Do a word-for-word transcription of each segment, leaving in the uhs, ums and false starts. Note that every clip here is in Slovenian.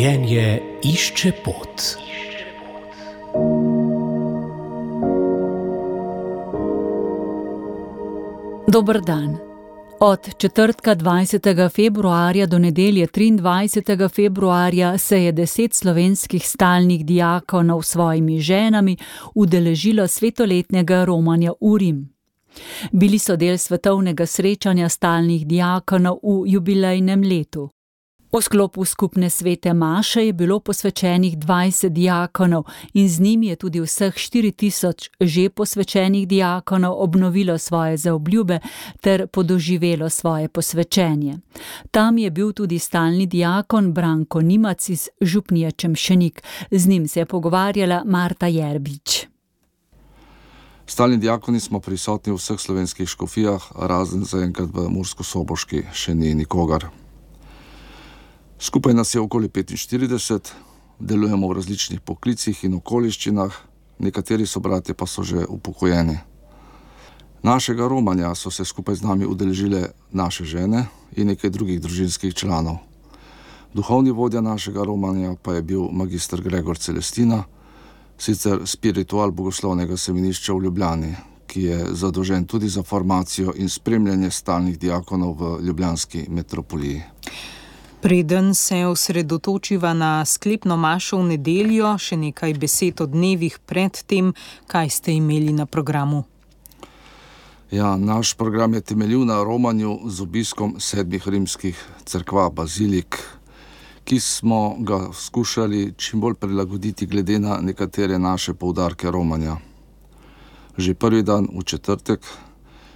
Življenje išče pot. Dober dan. Od četrtka dvajsetega februarja do nedelje triindvajsetega februarja se je deset slovenskih stalnih dijakonov s svojimi ženami udeležilo svetoletnega romanja v Rim. Bili so del svetovnega srečanja stalnih dijakonov v jubilejnem letu. V sklopu skupne svete maše je bilo posvečenih dvajset dijakonov in z njimi je tudi vseh štiri tisoč že posvečenih dijakonov obnovilo svoje zaobljube ter podoživelo svoje posvečenje. Tam je bil tudi stalni dijakon Branko Nimac iz župnije Čemšenik. Z njim se je pogovarjala Marta Jerbič. Stalni dijakoni smo prisotni v vseh slovenskih škofijah, razen zaenkrat v Murskosoboški še ni nikogar. Skupaj nas je okoli petinštirideset, delujemo v različnih poklicih in okoliščinah, nekateri sobratje pa so že upokojeni. Našega romanja so se skupaj z nami udeležile naše žene in nekaj drugih družinskih članov. Duhovni vodja našega romanja pa je bil magister Gregor Celestina, sicer spiritual Bogoslovnega semenišča v Ljubljani, ki je zadolžen tudi za formacijo in spremljanje stalnih dijakonov v ljubljanski metropoliji. Preden se osredotočiva na sklepno mašo v nedeljo, še nekaj besed o dnevih pred tem, kaj ste imeli na programu. Ja, naš program je temeljil na romanju z obiskom sedmih rimskih cerkva, bazilik, ki smo ga skušali čim bolj prilagoditi glede na nekatere naše poudarke romanja. Že prvi dan, v četrtek,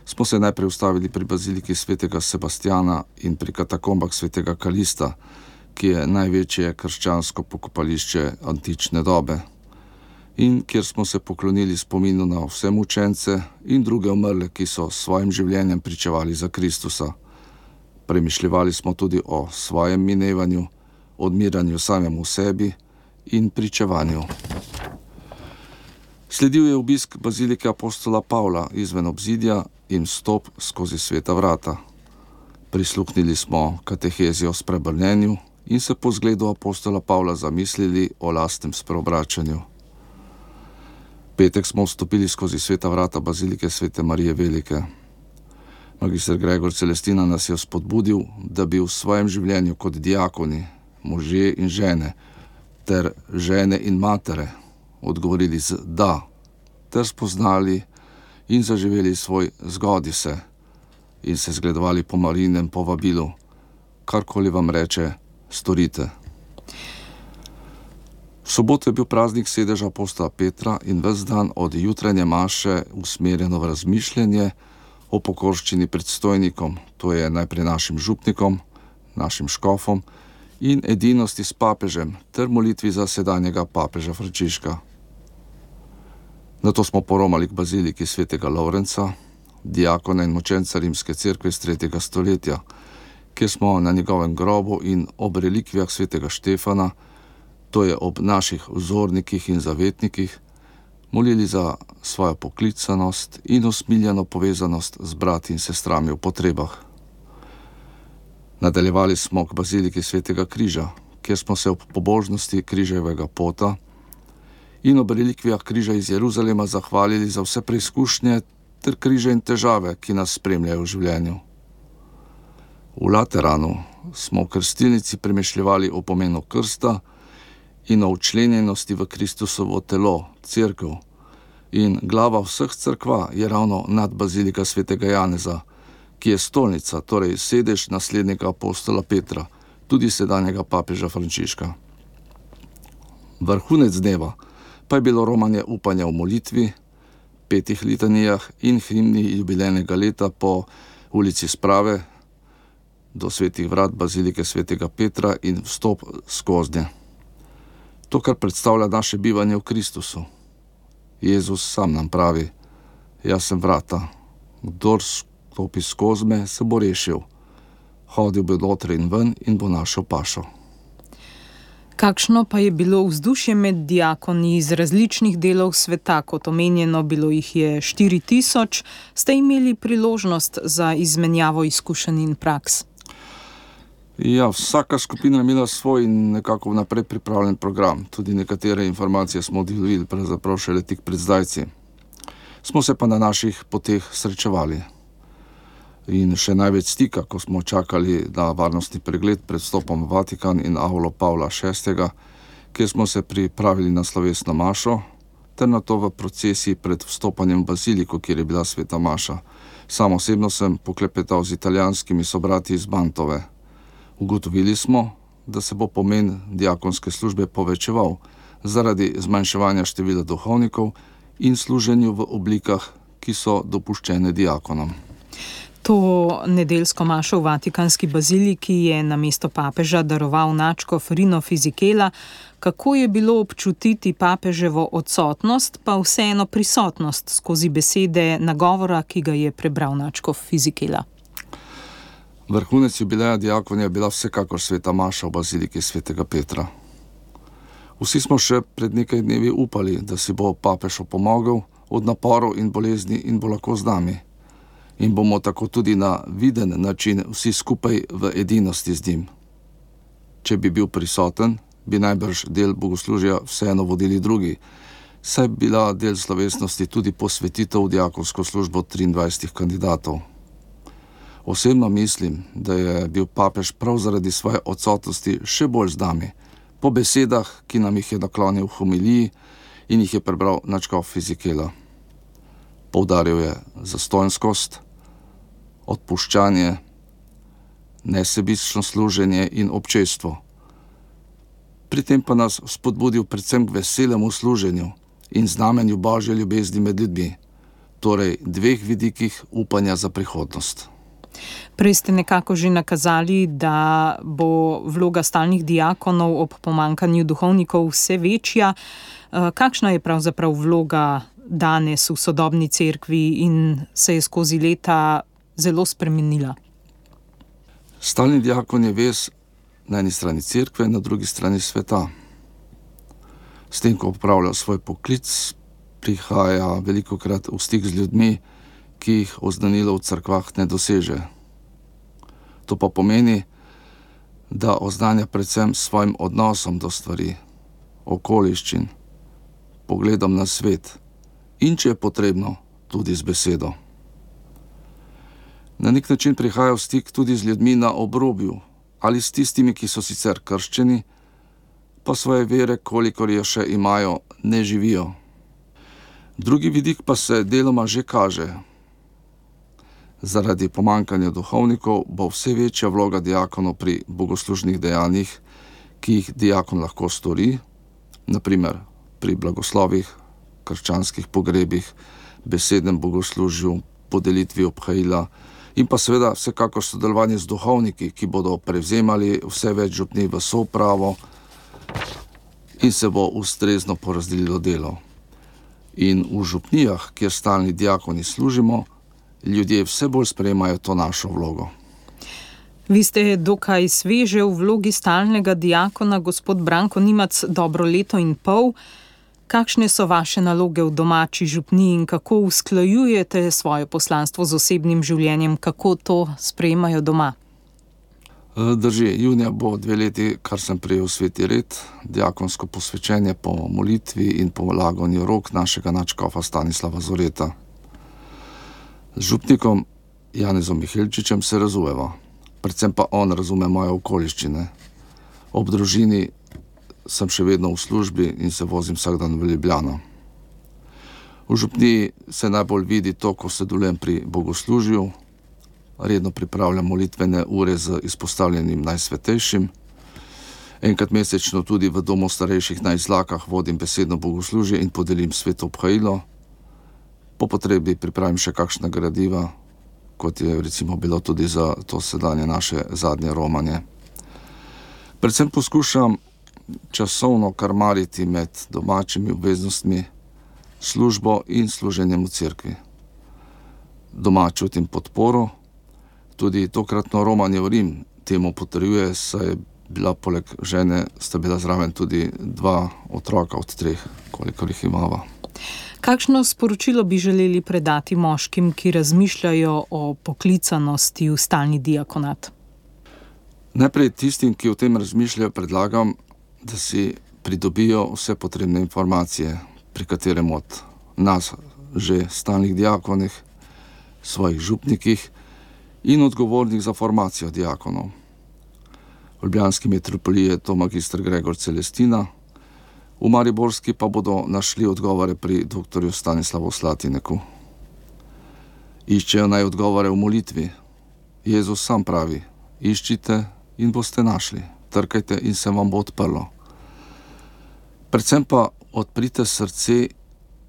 smo se najprej ustavili pri baziliki svetega Sebastjana in pri katakombah svetega Kalista, ki je največje krščansko pokopališče antične dobe, in kjer smo se poklonili spominu na vse mučence in druge umrle, ki so s svojim življenjem pričevali za Kristusa. Premišljevali smo tudi o svojem minevanju, odmiranju samemu sebi in pričevanju. Sledil je obisk bazilike apostola Pavla izven obzidja in vstop skozi sveta vrata. Prisluhnili smo katehezi o spreobrnenju in se po zgledu apostola Pavla zamislili o lastnem spreobračanju. Petek smo vstopili skozi sveta vrata bazilike svete Marije Velike. Magister Gregor Celestina nas je spodbudil, da bi v svojem življenju kot dijakoni, možje in žene, ter žene in matere odgovorili z da, ter spoznali in zaživeli svoj zgodi se in se zgledovali po Marijinem povabilu, karkoli vam reče, storite. V soboto je bil praznik sedeža apostola Petra in ves dan od jutranje maše usmerjeno v razmišljanje o pokorščini predstojnikom, to je najprej našim župnikom, našim škofom in edinosti s papežem ter molitvi za sedanjega papeža Frančiška. Nato smo poromali k baziliki svetega Lovrenca, dijakona in močenca rimske cerkve iz tretjega stoletja, kjer smo na njegovem grobu in ob relikvijah svetega Štefana, to je ob naših vzornikih in zavetnikih, molili za svojo poklicanost in usmiljeno povezanost z brati in sestrami v potrebah. Nadaljevali smo k baziliki svetega Križa, kjer smo se ob pobožnosti križevega pota in ob relikvijah križa iz Jeruzalema zahvalili za vse preizkušnje ter križe in težave, ki nas spremljajo v življenju. V Lateranu smo v krstilnici premišljevali o pomenu krsta in o včlenjenosti v Kristusovo telo, cerkev, in glava vseh cerkva je ravno nad bazilika svetega Janeza, ki je stolnica, torej sedež naslednjega apostola Petra, tudi sedanjega papeža Frančiška. Vrhunec dneva pa je bilo romanje upanja v molitvi, petih litanijah in himni jubilejnega leta po ulici Sprave do svetih vrat bazilike svetega Petra in vstop skoznje. To, kar predstavlja naše bivanje v Kristusu. Jezus sam nam pravi, jaz sem vrata, kdor stopi skozi me, se bo rešil. Hodil bo noter in ven in bo našel pašo. Kakšno pa je bilo vzdušje med dijakoni iz različnih delov sveta, kot omenjeno, bilo jih je štiri tisoč, ste imeli priložnost za izmenjavo izkušenj in praks? Ja, vsaka skupina je imela svoj in nekako vnaprej pripravljen program. Tudi nekatere informacije smo dobili pravzaprav šele tik pred zdajci. Smo se pa na naših poteh srečevali. In še največ stika, ko smo čakali na varnostni pregled pred vstopom v Vatikan in avlo Pavla šestega, kjer smo se pripravili na slovesno mašo, ter na to v procesiji pred vstopanjem v baziliko, kjer je bila sveta maša. Sam osebno sem poklepetal z italijanskimi sobrati iz Mantove. Ugotovili smo, da se bo pomen diakonske službe povečeval zaradi zmanjševanja števila duhovnikov in služenju v oblikah, ki so dopuščene diakonom. To nedeljsko mašo v Vatikanski baziliki je namesto papeža daroval nadškof Rino Fisichella. Kako je bilo občutiti papeževo odsotnost, pa vseeno prisotnost skozi besede nagovora, ki ga je prebral nadškof Fisichella? Vrhunec jubileja diakonija je bila vsekakor sveta maša v baziliki svetega Petra. Vsi smo še pred nekaj dnevi upali, da si bo papež opomogel od naporov in bolezni in bo lahko z nami. In bomo tako tudi na viden način vsi skupaj v edinosti z njim. Če bi bil prisoten, bi najbrž del bogoslužja vseeno vodili drugi, saj bi bila del slovesnosti tudi posvetitev v diakonsko službo triindvajsetih kandidatov. Osebno mislim, da je bil papež prav zaradi svoje odsotnosti še bolj z nami, po besedah, ki nam jih je naklonil v homiliji in jih je prebral nadškof Fisichella. Poudaril je zastonjskost, odpuščanje, nesebično služenje in občestvo. Pri tem pa nas spodbudil predvsem k veselemu služenju in znamenju Božje ljubezni med ljudmi, torej dveh vidikih upanja za prihodnost. Prej ste nekako že nakazali, da bo vloga stalnih diakonov ob pomanjkanju duhovnikov vse večja. Kakšna je pravzaprav vloga danes v sodobni cerkvi in se je skozi leta zelo spremenila? Stalni diakon je vez na eni strani cerkve, na drugi strani sveta. S tem, ko opravlja svoj poklic, prihaja velikokrat v stik z ljudmi, ki jih oznanilo v cerkvah ne doseže. To pa pomeni, da oznanja predvsem svojim odnosom do stvari, okoliščin, pogledom na svet in, če je potrebno, tudi z besedo. Na nek način prihaja v stik tudi z ljudmi na obrobju ali s tistimi, ki so sicer krščeni, pa svoje vere, kolikor jo še imajo, ne živijo. Drugi vidik pa se deloma že kaže. Zaradi pomanjkanja duhovnikov bo vse večja vloga diakonov pri bogoslužnih dejanjih, ki jih diakon lahko stori, na primer pri blagoslovih, krščanskih pogrebih, besednem bogoslužju, podelitvi obhajila in pa seveda vsekakor sodelovanje z duhovniki, ki bodo prevzemali vse več župni v soupravo in se bo ustrezno porazdelilo delo. In v župnijah, kjer stalni diakoni služimo, ljudje vse bolj sprejemajo to našo vlogo. Vi ste dokaj sveže v vlogi stalnega diakona, gospod Branko Nimac, dobro leto in pol. Kakšne so vaše naloge v domači župniji in kako usklajujete svoje poslanstvo z osebnim življenjem, kako to sprejemajo doma? Drži, junija bo dve leti, kar sem prejel sveti red, diakonsko posvečenje po molitvi in po laganju rok našega nadškofa Stanislava Zoreta. Z župnikom Janezom Mihelčičem se razumeva, predvsem pa on razume moje okoliščine. Ob družini sem še vedno v službi in se vozim vsak dan v Ljubljano. V župniji se najbolj vidi to, ko sodelujem pri bogoslužju, redno pripravljam molitvene ure z izpostavljenim najsvetejšim. Enkrat mesečno tudi v domu starejših na Izlakah vodim besedno bogoslužje in podelim sveto obhajilo. Po potrebi pripravim še kakšna gradiva, kot je recimo bilo tudi za to sedanje naše zadnje romanje. Predvsem poskušam časovno karmariti med domačimi obveznostmi, službo in služenjem v cerkvi. Doma čutim podporo, tudi tokratno romanje v Rim temu potrjuje, saj je bila poleg žene, sta bila zraven tudi dva otroka od treh, kolikor jih imava. Kakšno sporočilo bi želeli predati moškim, ki razmišljajo o poklicanosti v stalni diakonat? Najprej tistim, ki o tem razmišljajo, predlagam, da si pridobijo vse potrebne informacije, pri katerem od nas, že stalnih diakonih, svojih župnikih in odgovornih za formacijo diakonov. V ljubljanski metropoliji je to magister Gregor Celestina, v mariborski pa bodo našli odgovore pri doktorju Stanislavu Slatineku. Iščejo naj odgovore v molitvi. Jezus sam pravi: iščite in boste našli, trkajte in se vam bo odprlo. Predvsem pa odprite srce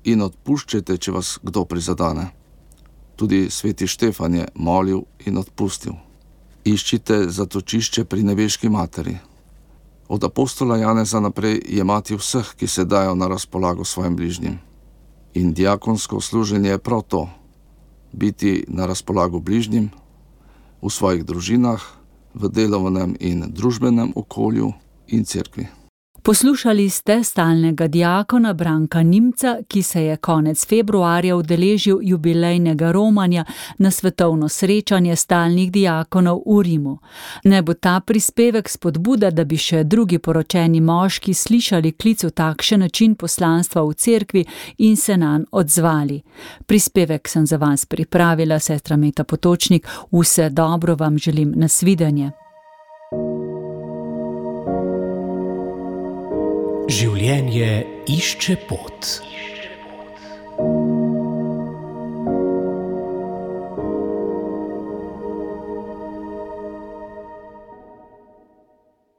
in odpuščajte, če vas kdo prizadane. Tudi sveti Štefan je molil in odpustil. Iščite zatočišče pri nebeški materi. Od apostola Janeza naprej je mati vseh, ki se dajo na razpolago svojim bližnjim. In diakonsko služenje je prav to: biti na razpolago bližnjim, v svojih družinah, v delovnem in družbenem okolju in cerkvi. Poslušali ste stalnega diakona Branka Nimca, ki se je konec februarja udeležil jubilejnega romanja na svetovno srečanje stalnih diakonov v Rimu. Ne bo ta prispevek spodbuda, da bi še drugi poročeni moški slišali klic v takšen način poslanstva v cerkvi in se nanj odzvali. Prispevek sem za vas pripravila sestra Meta Potočnik. Vse dobro vam želim, nasvidenje. Življenje išče pot.